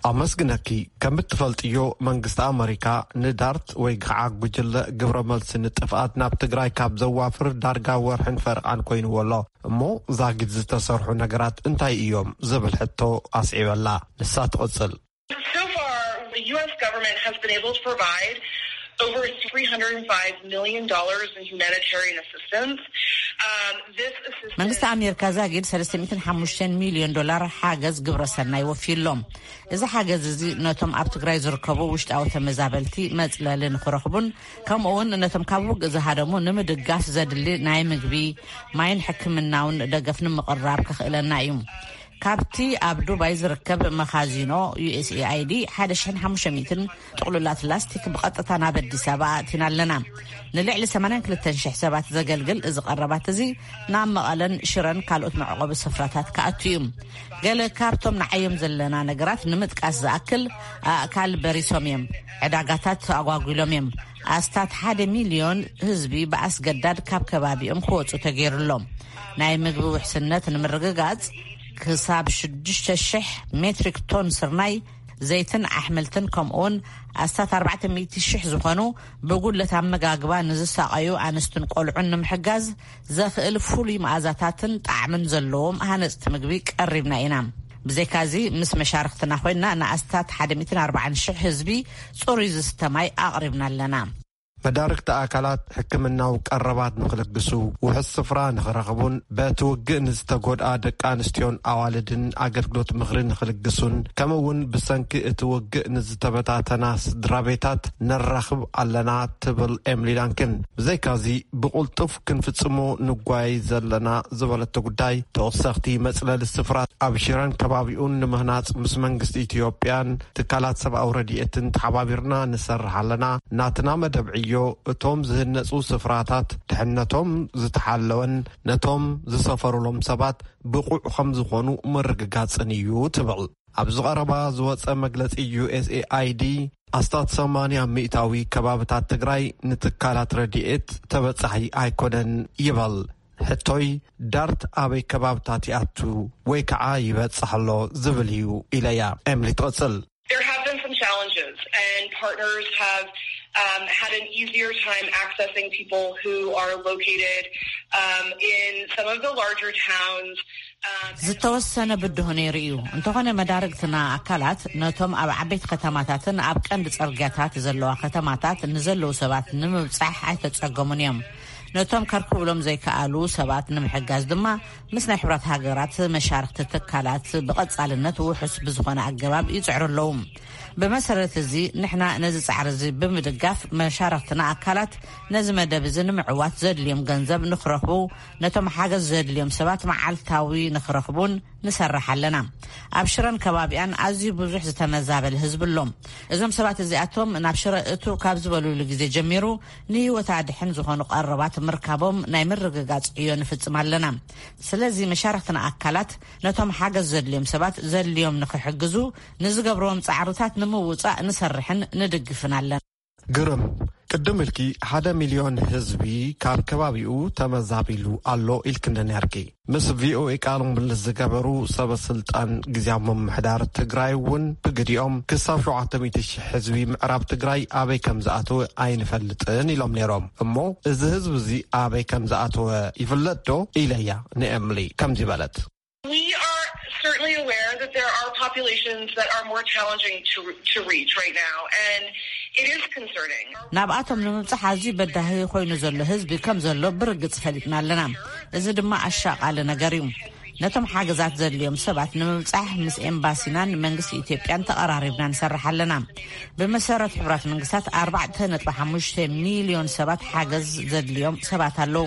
ኣመስግነኪ። ከም እትፈልጥዮ መንግስቲ ኣመሪካ ንዳርት ወይ ከዓ ጉጅለ ግብረ መልሲ ንጥፍኣት ናብ ትግራይ ካብ ዘዋፍር ዳርጋ ወርሕን ፈርቓን ኮይንዎ ኣሎ። እሞ ዛጊድ ዝተሰርሑ ነገራት እንታይ እዮም ዝብል ሕቶ ኣስዒበላ። ንሳ ትቕጽል። So far, the U S government has been able to provide over three hundred five million dollars in humanitarian assistance. Um, this assistance መንግስቲ ኣሜሪካ ዛጊድ ሰለስተ ሚእትን ሓሙሽተን ሚልዮን ዶላር ሓገዝ ግብረ ሰናይ ወፊዩሎም። እዚ ሓገዝ እዚ ነቶም ኣብ ትግራይ ዝርከቡ ውሽጣዊ ተመዛበልቲ መጽለሊ ንክረኽቡን ከምኡ እውን ነቶም ካብ ውግእ ዝሃደሙ ንምድጋፍ ዘድሊ ናይ ምግቢ፣ ማይን ሕክምናውን ደገፍ ንምቕራብ ከኽእለና እዩ። ካብቲ ኣብ ዱባይ ዝርከብ መኻዚኖ ዩ ኤስ ኤ ኣይ ዲ ሓደ ሽሕን ሓሙሽተ ሚእትን ጥቕሉላት ላስቲክ ብቐጥታ ናብ ኣዲስ ኣበባ ኣእቲና ኣለና። ንልዕሊ ሰማንያን ክልተን ሽሕ ሰባት ዘገልግል እዚ ቀረባት እዚ ናብ መቐለን ሽረን ካልኦት መዕቆቢ ስፍራታት ክኣቱ እዩ። ገለ ካብቶም ንዓዮም ዘለና ነገራት ንምጥቃስ ዝኣክል፣ ኣእካል በሪሶም እዮም። ዕዳጋታት ኣጓጒሎም እዮም። ኣስታት ሓደ ሚልዮን ህዝቢ ብኣስገዳድ ካብ ከባቢኦም ክወጹ ተገይሩሎም። ናይ ምግቢ ውሕስነት ንምርግጋጽ ክሳብ ሽዱሽተ ሽሕ ሜትሪክ ቶን ስርናይ፣ ዘይትን ኣሕምልትን ከምኡውን ኣስታት ኣርባዕተ ሚእቲ ሽሕ ዝኾኑ ብጉድለት ኣመጋግባ ንዝሳቐዩ ኣንስትን ቆልዑን ንምሕጋዝ ዘኽእል ፍሉይ መኣዛታትን ጣዕምን ዘለዎም ሃነጽቲ ምግቢ ቀሪብና ኢና። ብዘይካዚ ምስ መሻርክትና ኮይና ንኣስታት ሓደ ሚእትን ኣርባዓን ሽሕ ህዝቢ ጽሩይ ዝስተ ማይ ኣቕሪብና ኣለና። መዳርግቲ ኣካላት ሕክምናዊ ቀረባት ንክልግሱ፣ ውሑስ ስፍራ ንክረኽቡን በቲ ውግእ ንዝተጎድኣ ደቂ ኣንስትዮን ኣዋልድን ኣገልግሎት ምኽሪ ንክልግሱን፣ ከምኡ እውን ብሰንኪ እቲ ውግእ ንዝተበታተና ስድራ ቤታት ነራኽብ ኣለና ትብል ኤምሊ ዳንክን። ብዘይካዚ ብቕልጡፍ ክንፍጽሞ ንጓይ ዘለና ዝበለቶ ጉዳይ ተወሰኽቲ መጽለሊ ስፍራ ኣብ ሽረን ከባቢኡን ንምህናጽ ምስ መንግስቲ ኢትዮጵያን ትካላት ሰብኣዊ ረድኤትን ተሓባቢርና ንሰርሕ ኣለና። ናትና መደብ ዕዮ እቶም ዝህነጹ ስፍራታት ድሕነቶም ዝተሓለወን ነቶም ዝሰፈሩሎም ሰባት ብቑዕ ከም ዝኾኑ ምርግጋጽን እዩ ትብል። ኣብዚ ቀረባ ዝወጸ መግለጺ ዩ ኤስ ኤ ኣይ ዲ ኣስታት ሰማንያ ሚእታዊ ከባብታት ትግራይ ንትካላት ረድኤት ተበጻሒ ኣይኮነን ይበል። ሕቶይ ዳርት ኣበይ ከባብታት ይኣቱ ወይ ከዓ ይበጽሕ ኣሎ ዝብል እዩ ኢለያ። ኤምሊ ትቕጽል። There have been some challenges, and partners have um, had an easier time accessing people who are located um, in some of the larger towns. Um, ዝተወሰነ ብድሆ ነይሩ እዩ። እንተኾነ መዳርግትና ኣካላት ነቶም ኣብ ዓበይቲ ከተማታትን ኣብ ቀንዲ ጽርግያታት ዘለዋ ከተማታት ንዘለዉ ሰባት ንምብጻሕ ኣይተጸገሙን እዮም። ነቶም ከርክብሎም ዘይከኣሉ ሰባት ንምሕጋዝ ድማ ምስ ናይ ሕብራት ሃገራት መሻርክቲ ትካላት ብቐጻልነት ውሑስ ብዝኾነ ኣገባብ ይጽዕሩ ኣለዉ። ብመሰረት እዚ ንሕና ነዚ ጻዕሪ እዚ ብምድጋፍ መሻርክትና ኣካላት ነዚ መደብ እዚ ንምዕዋት ዘድልዮም ገንዘብ ንክረኽቡ፣ ነቶም ሓገዝ ዘድልዮም ሰባት መዓልታዊ ንክረኽቡን ንሰርሕ ኣለና። ኣብ ሽረን ከባቢኣን ኣዝዩ ብዙሕ ዝተመዛበለ ህዝቢ ኣሎ። እዞም ሰባት እዚኣቶም ናብ ሽረ እቱ ካብ ዝበሉሉ ግዜ ጀሚሩ ንህይወት ኣድሕን ዝኾኑ ቀረባት ምርካቦም ናይ ምርግጋጽ ዕዮ ንፍጽም ኣለና። ስለዚ መሻርክትና ኣካላት ነቶም ሓገዝ ዘድልዮም ሰባት ዘድልዮም ንክሕግዙ ንዝገብርዎም ጻዕርታት ንምውጻእ ንሰርሕን ንድግፍን ኣለና። ግርም፣ ቅድም ኢልኪ ሓደ ሚልዮን ህዝቢ ካብ ከባቢኡ ተመዛቢሉ ኣሎ ኢልክኒ ነርኪ። ምስ ቪኦኤ ቃለ ምልልስ ዝገበሩ ሰበ ስልጣን ግዝያዊ ምምሕዳር ትግራይ እውን ብግዲኦም ክሳብ ሸውዓተ ሚእቲ ሺሕ ህዝቢ ምዕራብ ትግራይ ኣበይ ከም ዝኣተወ ኣይንፈልጥን ኢሎም ነይሮም። እሞ እዚ ህዝቢ እዚ ኣበይ ከም ዝኣተወ ይፍለጥ ዶ ኢለያ ንኤምሊ ከምዚ በለት። We are certainly aware that there are populations that are more challenging to, to reach right now, and it is concerning. ናብኣቶም ንምብጻሕ ኣዝዩ በዳሂ ኮይኑ ዘሎ ህዝቢ ከም ዘሎ ብርግጽ ፈሊጥና ኣለና። እዚ ድማ ኣሻቓሊ ነገር እዩ። ነቶም ሓገዛት ዘድልዮም ሰባት ንምብጻሕ ምስ ኤምባሲናን መንግስቲ ኢትዮጵያን ተቐራሪብና ንሰርሕ ኣለና። ብመሰረት ሕቡራት መንግስታት ኣርባዕተ ነጥቢ ሓሙሽተ ሚልዮን ሰባት ሓገዝ ዘድልዮም ሰባት ኣለዉ።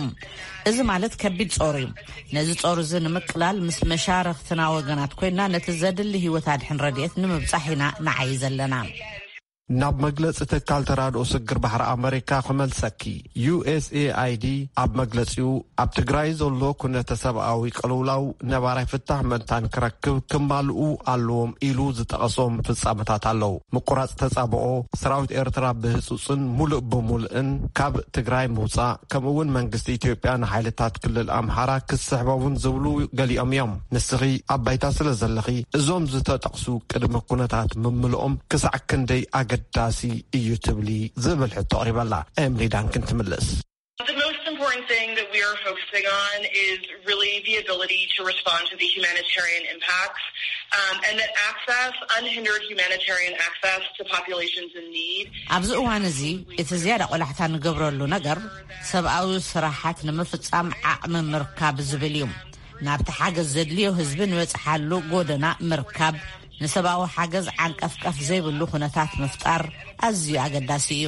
እዚ ማለት ከቢድ ጾር እዩ። ነዚ ጾር እዚ ንምቅላል ምስ መሻርኽትና ወገናት ኮይና ነቲ ዘድሊ ህይወት ኣድሕን ረድኤት ንምብጻሕ ኢና ንዓይ ዘለና። ናብ መግለጺ ትካል ተራድኦ ስግር ባሕሪ ኣመሪካ ክመልሰኪ። ዩ ኤስ ኤ ኣይ ዲ ኣብ መግለጺኡ ኣብ ትግራይ ዘሎ ኩነተ ሰብኣዊ ቅልውላው ነባራይ ፍታሕ መንታን ክረክብ ክማልኡ ኣለዎም ኢሉ ዝጠቐሶም ፍጻመታት ኣለዉ። ምቁራጽ ተጻብኦ፣ ሰራዊት ኤርትራ ብህጹጽን ሙሉእ ብሙሉእን ካብ ትግራይ ምውጻእ፣ ከምኡ እውን መንግስቲ ኢትዮጵያ ንሓይልታት ክልል ኣምሓራ ክስሕቦምን ዝብሉ ገሊኦም እዮም። ንስኺ ኣብ ባይታ ስለ ዘለኺ እዞም ዝተጠቕሱ ቅድመ ኩነታት ምምልኦም ክሳዕ ክንደይ ኣገዳሲ እዩ ትብሊ ዝብል ሕቶ ኣቕሪበላ። ኤምሊ ዳንክን ትምልስ። The most important thing that we are focusing on is really the ability to respond to the humanitarian impacts, um, and that access, unhindered humanitarian access to populations in need. ኣብዚ እዋን እዚ እቲ ዝያዳ ቆላሕታ ንገብረሉ ነገር ሰብኣዊ ስራሓት ንምፍጻም ዓቕሚ ምርካብ ዝብል እዩ። ናብቲ ሓገዝ ዘድልዮ ህዝቢ ንበጽሓሉ ጎደና ምርካብ፣ ንሰብኣዊ ሓገዝ ዓንቀፍቀፍ ዘይብሉ ኩነታት ምፍጣር ኣዝዩ ኣገዳሲ እዩ።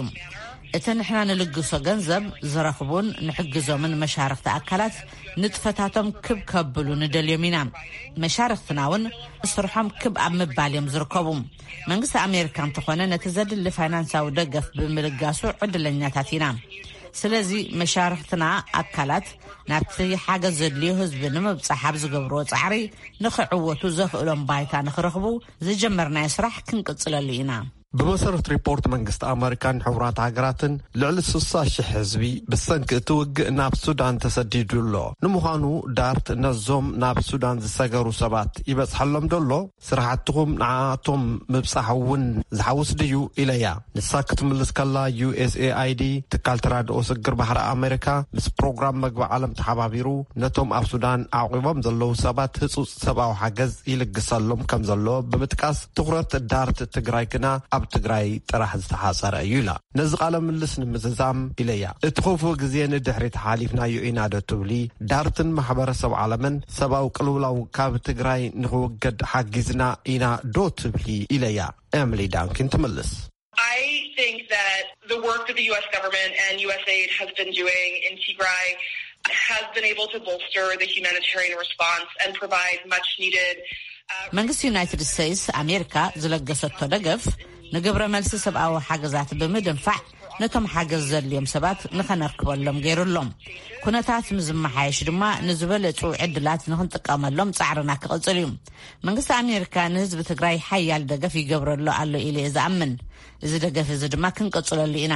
እቲ ንሕና ንልግሶ ገንዘብ ዝረኽቡን ንሕግዞምን መሻርኽቲ ኣካላት ንጥፈታቶም ክብ ከብሉ ንደልዮም ኢና። መሻርኽትና እውን ስርሖም ክብ ኣብ ምባል እዮም ዝርከቡ። መንግስቲ ኣሜሪካ እንተኾነ ነቲ ዘድሊ ፋይናንሳዊ ደገፍ ብምልጋሱ ዕድለኛታት ኢና። ስለዚ መሻርኽትና ኣካላት ናብቲ ሓገዝ ዘድልዮ ህዝቢ ንምብጻሕ ኣብ ዝገብርዎ ጻዕሪ ንኽዕወቱ ዘኽእሎም ባይታ ንኽረኽቡ ዝጀመርናዮ ስራሕ ክንቅጽለሉ ኢና። ብመሰረት ሪፖርት መንግስቲ ኣመሪካን ሕቡራት ሃገራትን ልዕሊ ስሳ ሽሕ ህዝቢ ብሰንኪ እቲ ውግእ ናብ ሱዳን ተሰዲዱ ኣሎ። ንምዃኑ ዳርት ነዞም ናብ ሱዳን ዝሰገሩ ሰባት ይበጽሐሎም ዶ ኣሎ? ስራሕትኹም ንዓኣቶም ምብጻሕ እውን ዝሓውስ ድዩ? ኢለያ። ንሳ ክትምልስ ከላ ዩ ኤስ ኤ ኣይ ዲ ትካል ተራድኦ ስግር ባሕሪ ኣመሪካ ምስ ፕሮግራም መግቢ ዓለም ተሓባቢሩ ነቶም ኣብ ሱዳን ኣዕቂቦም ዘለዉ ሰባት ህጹጽ ሰብኣዊ ሓገዝ ይልግሰሎም ከም ዘሎ ብምጥቃስ ትኹረት ዳርት ትግራይ ግና ኣብ ትግራይ ጥራሕ ዝተሓጸረ እዩ ኢላ። ነዚ ቃለ ምልልስ ንምዝዛም ኢለያ። እቲ ክፉእ ግዜ ንድሕሪት ሓሊፍናዮ ኢና ዶ ትብሊ? ዳርትን ማሕበረሰብ ዓለምን ሰብኣዊ ቅልውላው ካብ ትግራይ ንኽውገድ ሓጊዝና ኢና ዶ ትብሊ? ኢለያ ኤምሊ ዳንኪን ትምልስ። I think that the work that the U S government and U S aid has been doing in Tigray has been able to bolster the humanitarian response and provide much needed, uh, መንግስቲ ዩናይትድ ስቴትስ ኣሜሪካ ዝለገሰቶ ደገፍ ንግብረ መልሲ ሰብኣዊ ሓገዛት ብምድንፋዕ ነቶም ሓገዝ ዘድልዮም ሰባት ንኸነርክበሎም ገይሩ ኣሎ። ኩነታት ምስ ዝመሓየሽ ድማ ንዝበለጹ ዕድላት ንኽንጥቀመሎም ጻዕርና ክቕጽል እዩ። መንግስቲ ኣሜሪካ ንህዝቢ ትግራይ ሓያል ደገፍ ይገብረሉ ኣሎ ኢለ እየ ዝኣምን። እዚ ደገፍ እዚ ድማ ክንቅጽለሉ ኢና።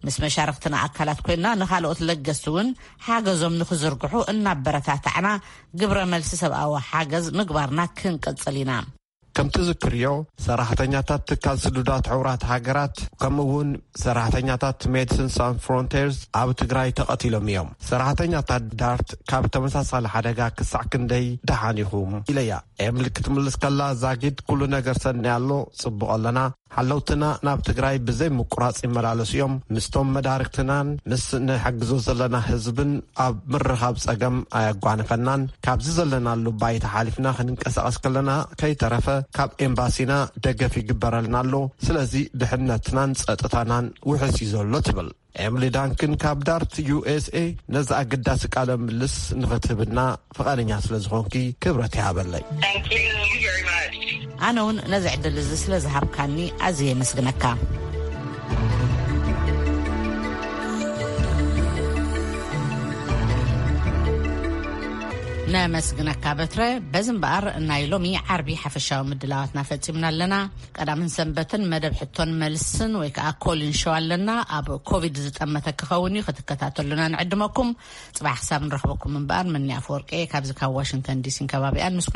ምስ መሻርኽትና ኣካላት ኮይና ንኻልኦት ለገስቲ እውን ሓገዞም ንኽዝርግሑ እናበረታታዕና ግብረ መልሲ ሰብኣዊ ሓገዝ ምግባርና ክንቅጽል ኢና። ከም ትዝክርዮ ሰራሕተኛታት ትካል ስዱዳት ሕቡራት ሃገራት ከምኡ እውን ሰራሕተኛታት ሜዲሲን ሳን ፍሮንቴርስ ኣብ ትግራይ ተቐቲሎም እዮም። ሰራሕተኛታት ዳርት ካብ ተመሳሳሊ ሓደጋ ክሳዕ ክንደይ ደሓን ኢኹም? ኢለያ። ኤምሊ ክትምልስ ከላ ዛጊድ ኩሉ ነገር ሰኒ ኣሎ፣ ጽቡቕ ኣለና። ሓለውትና ናብ ትግራይ ብዘይ ምቁራጽ ይመላለሱ እዮም። ምስቶም መዳርግትናን ምስ ንሕግዞ ዘለና ህዝብን ኣብ ምርኻብ ጸገም ኣየጓነፈናን። ካብዚ ዘለናሉ ባይታ ሓሊፍና ክንንቀሳቐስ ከለና ከይተረፈ ካብ ኤምባሲና ደገፍ ይግበረልና ኣሎ። ስለዚ ድሕነትናን ጸጥታናን ውሕስ እዩ ዘሎ ትብል። ኤምሊ ዳንክን ካብ ዳርት ዩ ኤስ ኤ ነዚ ኣገዳሲ ቃለ ምልስ ንኽትህብና ፍቓደኛ ስለ ዝኾንኪ ክብረት ይሃበለይ። Thank you very much. ኣነ እውን ነዚ ዕድል እዚ ስለ ዝሃብካኒ ኣዝየ የመስግነካ። ነመስግነካ በትረ። በዚ እምበኣር ናይ ሎሚ ዓርቢ ሓፈሻዊ ምድላዋትና ፈጺምና ኣለና። ቀዳምን ሰንበትን መደብ ሕቶን መልስን ወይ ከዓ ኮሊን ሸው ኣለና። ኣብ ኮቪድ ዝጠመተ ክኸውን እዩ፣ ክትከታተሉና ንዕድመኩም። ጽባሕ ክሳብ ንረኽበኩም እምበኣር፣ ምኒ ኣፈወርቂ እየ ካብዚ ካብ ዋሽንግተን ዲሲን ከባቢኣን ምስ